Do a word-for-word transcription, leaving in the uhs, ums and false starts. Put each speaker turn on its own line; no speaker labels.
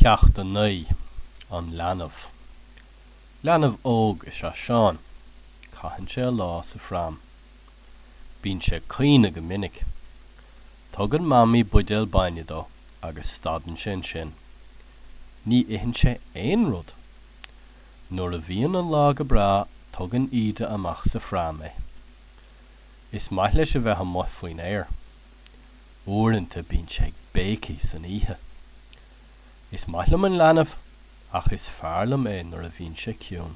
Ceacht a naoi, An Leanbh. Leanbh óg is ea Seán. Caitheann sé a lá sa phram. Bíonn sé ag caoineadh go minic. Tugann Mamaí buidéal bainne dó agus stadann sé ansin. Ní itheann sé aon rud. Nuair a bhíonn an lá go breá, tugann Íde amach sa phram é. Is maith leis a bheith amuigh faoin aer. Uaireanta bíonn sé ag béicigh san oíche. Is maith liom an leanbh, ach is fearr liom é nuair a bhíonn sé ciúin.